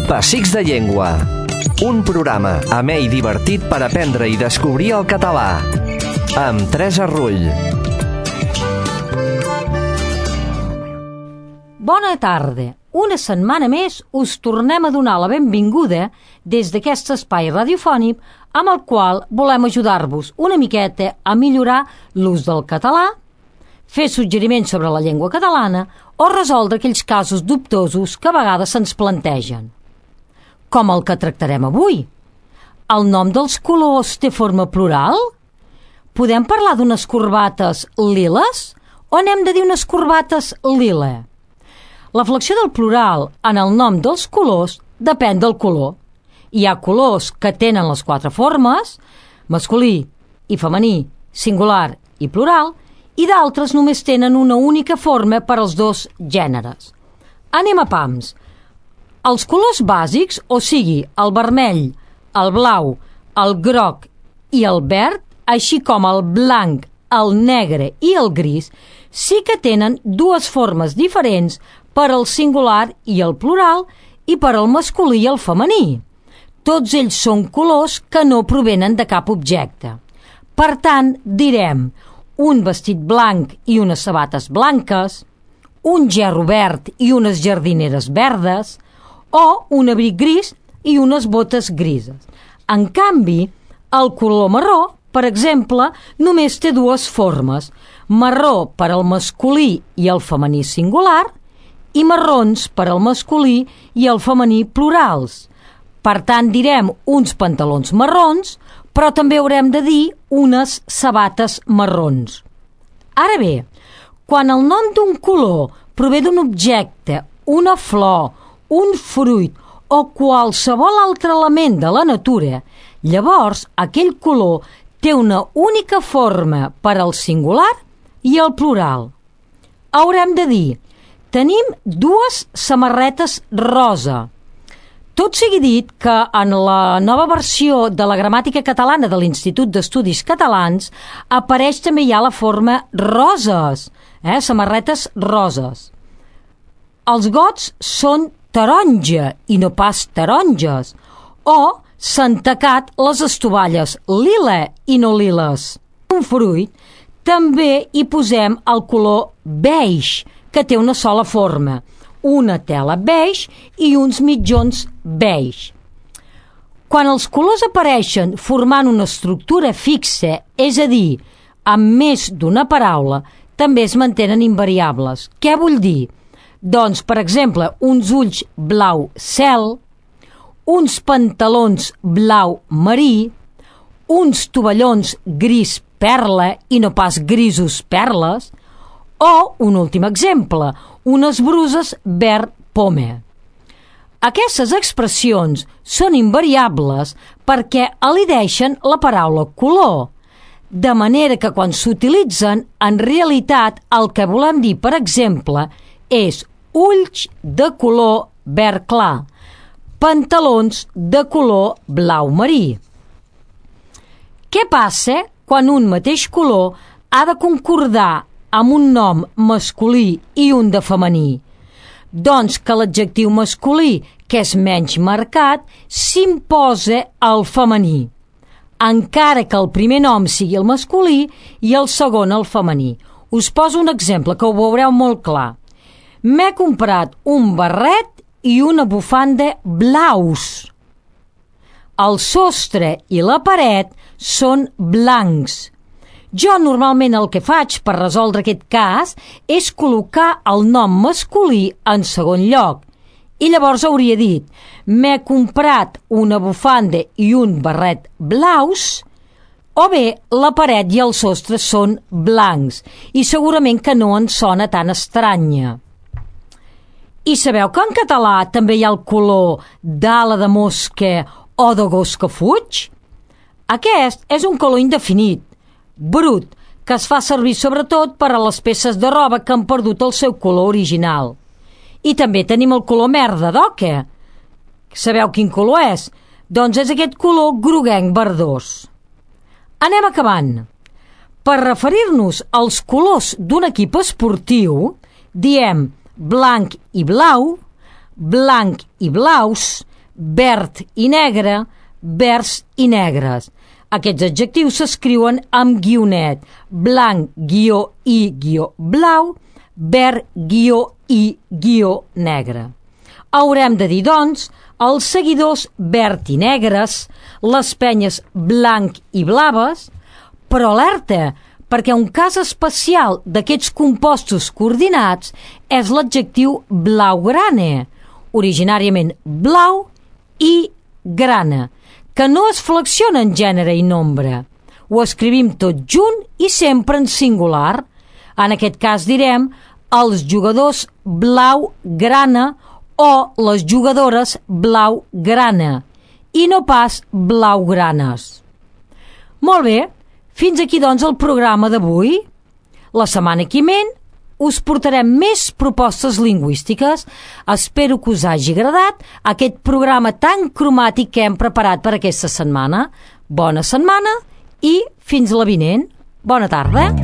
Pessics de Llengua. Un programa amè i divertit per aprendre i descobrir el català. Amb Teresa Rull. Bona tarda. Una setmana més us tornem a donar la benvinguda des d'aquest espai radiofònic amb el qual volem ajudar-vos una miqueta a millorar l'ús del català, fer suggeriments sobre la llengua catalana o resoldre aquells casos dubtosos que a vegades se'ns plantegen. Com el que tractarem avui. El nom dels colors té forma plural? Podem parlar d'unes corbates liles o n'hem de dir unes corbates lila? La flexió del plural en el nom dels colors depèn del color. Hi ha colors que tenen les 4 formes, masculí i femení, singular i plural, i d'altres només tenen una única forma per als dos gèneres. Anem a pams. Els colors bàsics, o sigui, el vermell, el blau, el groc i el verd, així com el blanc, el negre i el gris, sí que tenen dues formes diferents per al singular i el plural i per al masculí i el femení. Tots ells són colors que no provenen de cap objecte. Per tant, direm un vestit blanc i unes sabates blanques, un gerro verd i unes jardineres verdes, o un abric gris i unes botes grises. En canvi, el color marró, per exemple, només té dues formes, marró per al masculí i el femení singular i marrons per al masculí i el femení plurals. Per tant, direm uns pantalons marrons, però també haurem de dir unes sabates marrons. Ara bé, quan el nom d'un color prové d'un objecte, una flor, un fruit o qualsevol altre element de la natura, llavors aquell color té una única forma per al singular i el plural. Haurem de dir, tenim dues samarretes rosa. Tot sigui dit que en la nova versió de la gramàtica catalana de l'Institut d'Estudis Catalans apareix també ja la forma roses, samarretes roses. Els gots són taronja i no pas taronges, o s'han tacat les estovalles lila i no liles. Un fruit també hi posem el color beix, que té una sola forma, una tela beix i uns mitjons beix. Quan els colors apareixen formant una estructura fixa, és a dir, amb més d'una paraula, també es mantenen invariables. Què vull dir? Doncs, per exemple, uns ulls blau cel, uns pantalons blau marí, uns tovallons gris perla i no pas grisos perles, o, un últim exemple, unes bruses verd poma. Aquestes expressions són invariables perquè elideixen la paraula color, de manera que quan s'utilitzen, en realitat el que volem dir, per exemple, és ulls de color verd clar, pantalons de color blau marí. Què passa quan un mateix color ha de concordar amb un nom masculí i un de femení? Doncs que l'adjectiu masculí, que és menys marcat, s'imposa al femení, encara que el primer nom sigui el masculí i el segon el femení. Us poso un exemple que ho veureu molt clar. M'he comprat un barret i una bufanda blaus. El sostre i la paret són blancs. Jo normalment el que faig per resoldre aquest cas és col·locar el nom masculí en segon lloc. I llavors hauria dit, m'he comprat una bufanda i un barret blaus, o bé la paret i el sostre són blancs, i segurament que no en sona tan estranya. I sabeu que en català també hi ha el color d'ala de mosca o de gos que fuig? Aquest és un color indefinit, brut, que es fa servir sobretot per a les peces de roba que han perdut el seu color original. I també tenim el color merda d'oca. Sabeu quin color és? Doncs és aquest color groguenc verdós. Anem acabant. Per referir-nos als colors d'un equip esportiu, diem blanc i blau, blanc i blaus, verd i negre, verds i negres. Aquests adjectius s'escriuen amb guionet, blanc, guió, i, guió, blau, verd, guió, i, guió, negre. Haurem de dir, doncs, els seguidors verd i negres, les penyes blanc i blaves, però alerta, perquè un cas especial d'aquests compostos coordinats és l'adjectiu blaugrana, originàriament blau i grana, que no es flexiona en gènere i nombre. Ho escrivim tot junt i sempre en singular. En aquest cas direm els jugadors blau-grana o les jugadores blau-grana i no pas blaugranes. Molt bé, fins aquí doncs el programa d'avui. La setmana que ve us portarem més propostes lingüístiques. Espero que us hagi agradat aquest programa tan cromàtic que hem preparat per aquesta setmana. Bona setmana i fins la vinent. Bona tarda.